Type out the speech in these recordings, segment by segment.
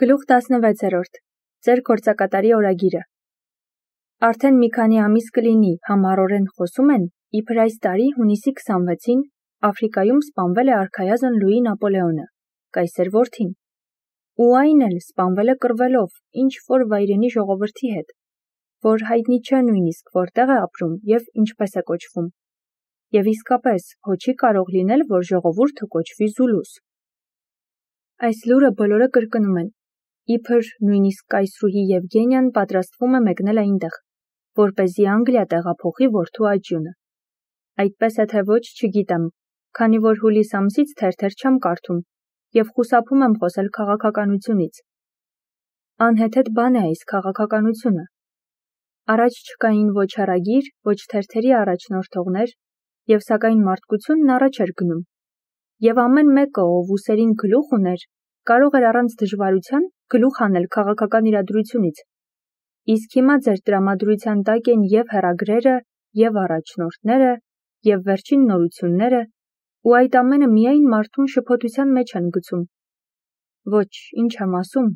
Գլուխ 16-րդ. Ձեր գործակատարի օրագիրը։ Արդեն մի քանի ամիս կլինի, համառորեն խոսում են, իբր այս տարի հունիսի 26-ին Աֆրիկայում սպանվել է արքայազն Լուի Նապոլեոնը, կայսեր որդին։ Ու այն էլ սպանվել է կռվելով ինչ-որ վայրենի ժողովրդի հետ, որ հայտնի չէ նույնիսկ որտեղ է ապրում և ինչպես է կոչվում։ Եվ իսկապես, հո չի կարող լինել, որ ժողովուրդը կոչվի Զուլուս։ Այս լուրը բոլորը կրկնում են, իբր նույնիսկ կայսրուհի Եվգենիան պատրաստվում է մեկնել այնտեղ, որպեսզի Անգլիա տեղափոխի որդու աճյունը։ Այդպես է թե ոչ, չգիտեմ, քանի որ հուլիս ամսից թերթեր չեմ կարդում և խուսափում եմ խոսել քաղաքականությունից։ Անհեթեթ բան է այս քաղաքականությունը։ Առաջ չկային ոչ հեռագիր, ոչ թերթերի առաջնորդողներ, և սակայն մարդկությունն առաջ էր գնում։ Եվ ամեն մեկը, ով ուսերին գլուխ ուներ, կարող էր առանց դժվարության գլուխ հանել քաղաքական իրադրությունից։ Իսկ հիմա ձեր տրամադրության տակ են և հեռագրերը, և առաջնորդները, և վերջին նորությունները, ու այդ ամենը միայն մարդուն շփոթության մեջ են գցում։ Ոչ, ինչ եմ ասում,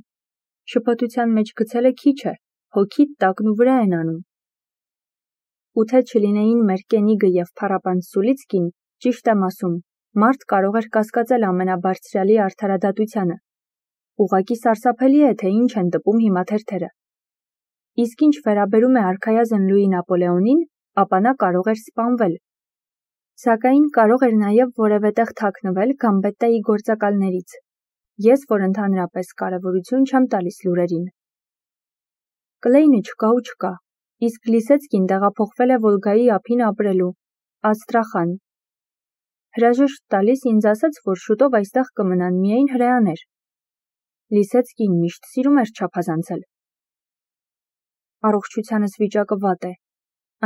շփոթության մեջ գցելը քիչ է, հոգիդ տակնուվրա են անում։ Ու թե չլինեին մեր Կենիգը և փառապանծ Սուլիցկին, ճիշտ եմ ասում, մարդ կարող էր կասկածել ամենաբարձրյալի արդարադատությանը։ Ուղղակի սարսափելի է, թե ինչ են տպում հիմա թերթերը։ Իսկ ինչ վերաբերում է արքայազն Լուի Նապոլեոնին, ապա նա կարող էր սպանվել։ Սակայն կարող էր նաև որևէ տեղ թաքնվել Գամբետտայի գործակալներից։ Ես, որ ընդհանրապես կարևորություն չեմ տալիս լուրերին։ Կլեյնը չկա ու չկա, իսկ Լիսեցկին տեղափոխվել է Վոլգայի ափին ապրելու, Աստրախան։ Հրաժեշտ տալիս ինձ ասաց, որ շուտով այստեղ կմնան միայն հրեաներ։ Լիսեցկին միշտ սիրում էր չափազանցել։ Առողջությանս վիճակը վատ է։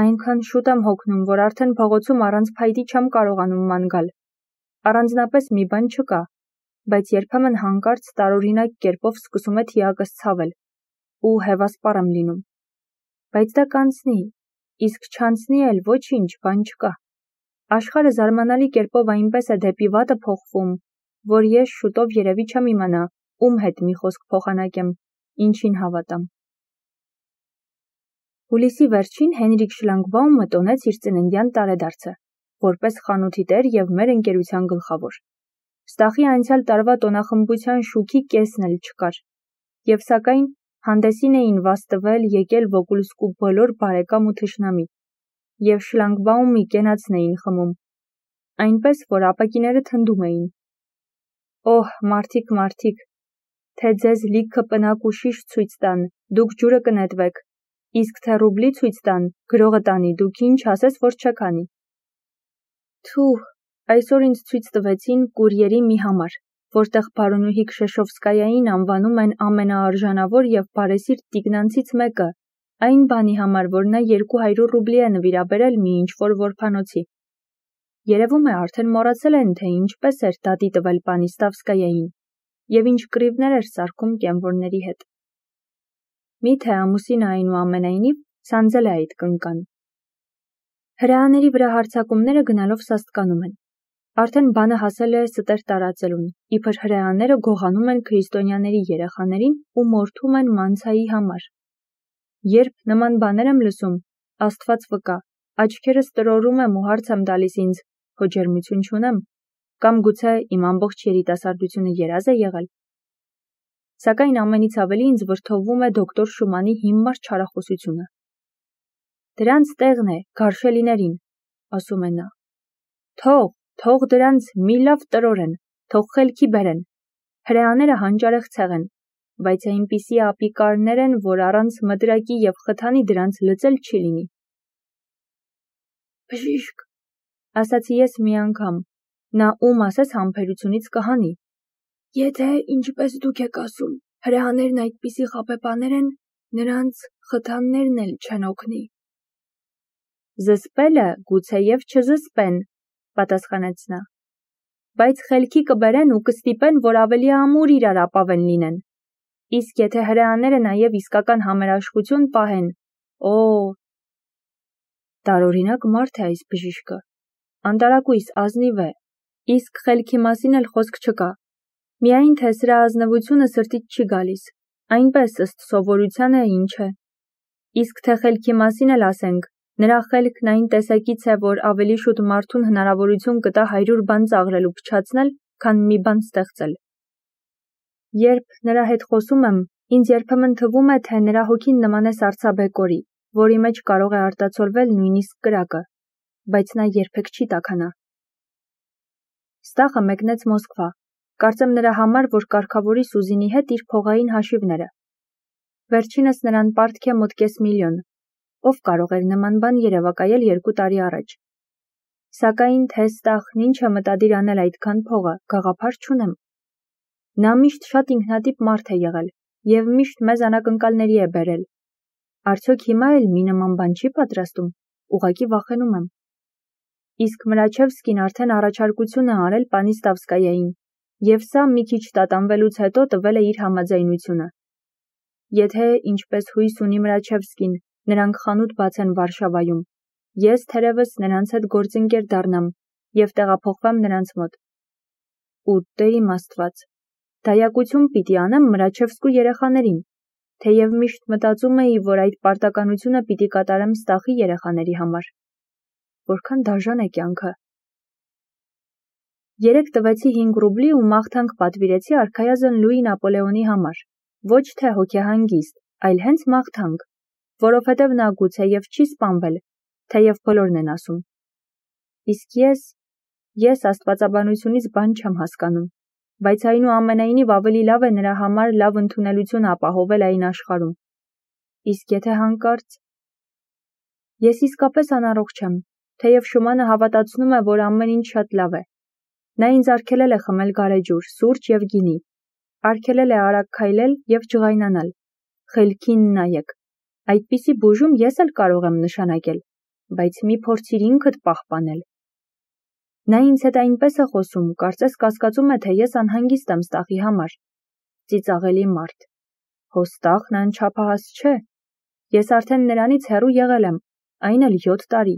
Այնքան շուտ եմ հոգնում, որ արդեն փողոցում առանց փայտի չեմ կարողանում ման գալ։ Առանձնապես մի բան չկա, բայց երբեմն հանկարծ տարօրինակ կերպով սկսում է թիակս ցավել, ու հևասպառ եմ լինում։ Բայց դա կանցնի, իսկ չանցնի էլ ոչինչ, բան չկա։ Աշխարհը զարմանալի կերպով այնպես է դեպի վատը փոխվում, որ ես շուտով երևի չեմ իմանա, ում հետ մի խոսք փոխանակեմ, ինչին հավատամ։ Հուլիսի վերջին Հենրիկ Շլանգբաումը տոնեց իր ծննդյան տարեդարձը, որպես խանութի տեր և մեր ընկերության գլխավոր։ Ստախի անցյալ տարվա տոնախմբության շուքի կեսն էլ չկար։ Եվ սակայն հանդեսին էին վաստվել եկել Վոկուլսկու բոլոր բարեկամ ու թշնամի, և Շլանգբաումի կենացն էին խմում, այնպես, որ ապակիները թնդում էին։ Օհ, մարդիկ, թե ձեզ լիքը պնակ ու շիշ ցույց տան, դուք ջուրը կնետվեք, իսկ թե ռուբլի ցույց տան, գրողը տանի, դուք ինչ ասես, որ չեք անի։ Թուհ, այսօր ինձ ցույց տվեցին կուրիերի մի համար, որտեղ բարոնուհի Քշեշովսկայային անվանում են ամենաարժանավոր և բարեսիրտ տիկնանցից մեկը, այն բանի համար, որ նա 200 ռուբլի է նվիրաբերել մի ինչ-որ որբանոցի։ Երևում է արդեն մոռացել են, թե ինչպես էր դատի տվել Պանիստավսկայային, և ինչ կռիվներ էր սարքում կենվորների հետ։ Միթե ամուսինը այնուամենայնիվ սանձել է այդ կնկան։ Հրեաների վրա հարձակումները գնալով սաստկանում են։ Արդեն բանը հասել է ստեր տարածելուն, իբր հրեաները գողանում են քրիստոնյաների երեխաներին ու մորթում են մանցայի համար։ Երբ նման բաներ եմ լսում, Աստված վկա, աչքերս տրորում եմ ու հարց եմ տալիս ինձ, հո ջերմություն չունեմ, կամ գուցե իմ ամբողջ երիտասարդությունը երազ է եղել։ Սակայն ամենից ավելի ինձ վրդովվում է դոկտոր Շումանի հիմար չարախոսությունը։ Դրանց տեղն է գարշելիներին, ասում է նա։ Թող դրանց մի լավ տրորեն, թող խելքի բերեն։ Հրեաները հանճարեղցեղ են, բայց այնպիսի ապիկարներ են, որ առանց մտրակի և խթանի դրանց լծել չի լինի։ Բժիշկ, ասացի ես մի անգամ, նա ում ասես համբերությունից կհանի։ Եթե, ինչպես դուք եք ասում, հրեաներն այդպիսի խաբեբաներ են, նրանց խթաններն էլ չեն օգնի։ Զսպելը գուցեև չզսպեն, պատասխանեց նա, բայց խելքի կբերեն ու կստիպեն, որ ավելի ամուր իրար ապավեն լինեն։ Իսկ եթե հրեաները նաև իսկական համերաշխություն պահեն, տարօրինակ մարդ է այս բժիշկը, անտարակույս ազնիվ է, իսկ խելքի մասին էլ խոսք չկա։ Միայն թե սրա ազնվությունը սրտից չի գալիս, այնպես ըստ սովորությանը ինչ է։ Իսկ թե խելքի մասին էլ ասենք, նրա խելքն այն տեսակից է, որ ավելի շուտ մարդուն հնարավորություն կտա 100 բան ծաղրել ու փչացնել, քան մի բան ստեղծել։ Երբ նրա հետ խոսում եմ, ինձ երբեմն թվում է, թե նրա հոգին նման է սառցաբեկորի, որի մեջ կարող է արտացոլվել նույնիսկ կրակը, բայց նա երբեք չի տաքանա։ Ստախը մեկնեց Մոսկվա, կարծեմ նրա համար, որ կարգավորի Սուզինի հետ իր փողային հաշիվները։ Վերջինս նրան պարտք է մոտ կես միլիոն, ով կարող էր նման բան երևակայել 2 տարի առաջ։ Սակայն թե Ստախն ինչ է մտադիր անել այդքան փողը, գաղափար չունեմ։ Նա միշտ շատ ինքնատիպ մարդ է եղել և միշտ մեզ անակնկալների է բերել։ Արդյոք հիմա էլ մի նման բան չի պատրաստում, ուղղակի վախենում եմ։ Իսկ Մրաչևսկին արդեն առաջարկություն է արել Պանիստավսկայային, և սա մի քիչ տատանվելուց հետո տվել է իր համաձայնությունը։ Եթե, ինչպես հույս ունի Մրաչևսկին, նրանք խանութ բացեն Վարշավայում, ես թերևս նրանց հետ գործընկեր դառնամ և տեղափոխվեմ նրանց մոտ։ Ու Տեր իմ Աստված, դայակություն պիտի անեմ Մրաչևսկու երեխաներին, թեև միշտ մտածում էի, որ այդ պարտականությունը պիտի կատարեմ Ստախի երեխաների համար։ Որքան դաժան է կյանքը։ Երեկ տվեցի 5 ռուբլի ու մաղթանք պատվիրեցի արքայազն Լուի Նապոլեոնի համար, ոչ թե հոգեհանգիստ, այլ հենց մաղթանք, որովհետև նա գուցեև չի սպանվել, թեև բոլորն են ասում։ Իսկ ես աստվածաբանությունից բան չեմ հասկանում, բայց այնուամենայնիվ ավելի լավ է նրա համար լավ ընդունելություն ապահովել այն աշխարհում։ Իսկ եթե հանկարծ… Ես իսկապես անառողջ եմ, թեև Շումանը հավատացնում է, որ ամեն ինչ շատ լավ է։ Նա ինձ արգելել է խմել գարեջուր, սուրճ և գինի, արգելել է արագ քայլել և ջղայնանալ։ Խելքին նայեք, այդպիսի բուժում ես էլ կարող եմ նշանակել, բայց մի փորձիր ինքդ պահպանել։ Նա ինձ հետ այնպես է խոսում, կարծես կասկածում է, թե ես անհանգիստ եմ Ստախի համար։ Ծիծաղելի մարդ։ Հո Ստախն անչափահաս չէ։ Ես արդեն նրանից հեռու եղել եմ, այն էլ 7 տարի։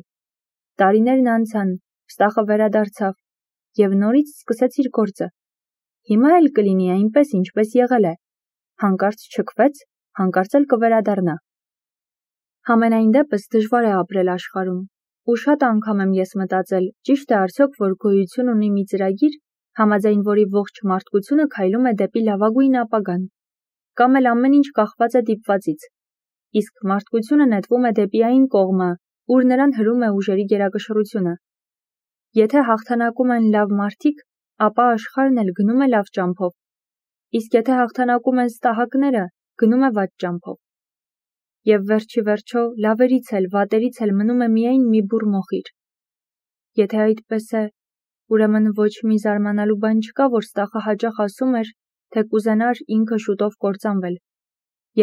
Տարիներն անցան, Ստախը վերադարձավ և նորից սկսեց իր գործը։ Հիմա էլ կլինի այնպես, ինչպես եղել է։ Հանկարծ չքվեց, հանկարծ էլ կվերադառնա։ Համենայն դեպս դժվար է ապրել աշխարհում։ Ու շատ անգամ եմ ես մտածել, ճիշտ է արդյոք, որ գոյություն ունի մի ծրագիր, համաձայն որի ողջ մարդկությունը քայլում է դեպի լավագույն ապագան, կամ էլ ամեն ինչ կախված է դիպվածից, իսկ մարդկությունը նետվում է դեպի այն կողմը, ուր նրան հրում է ուժերի գերակշռությունը։ Եթե հաղթանակում են լավ մարդիկ, ապա աշխարհն էլ գնում է լավ ճամփով, իսկ եթե հաղթանակում են ստահակները, գնում է վատ ճամփով։ Եվ վերջի վերջո լավերից էլ, վատերից էլ մնում է միայն մի բուռ մոխիր։ Եթե այդպես է, ուրեմն ոչ մի զարմանալու բան չկա, որ Ստախը հաճախ ասում էր, թե կուզենար ինքը շուտով կործանվել,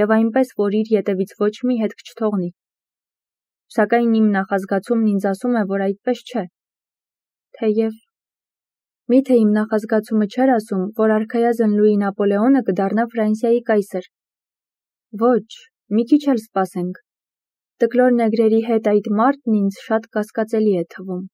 և այնպես, որ իր ետևից ոչ մի հետք չթողնի։ Սակայն իմ նախազգացումն ինձ ասում է, որ այդպես չէ։ Թեև… Միթե իմ նախազգացումը չէր ասում, որ արքայազն Լուի Նապոլեոնը կդառնա Ֆրանսիայի կայսր։ Ոչ, մի քիչ էլ սպասենք։ Տկլոր նեգրերի հետ այդ մարդն ինձ շատ կասկածելի է թվում։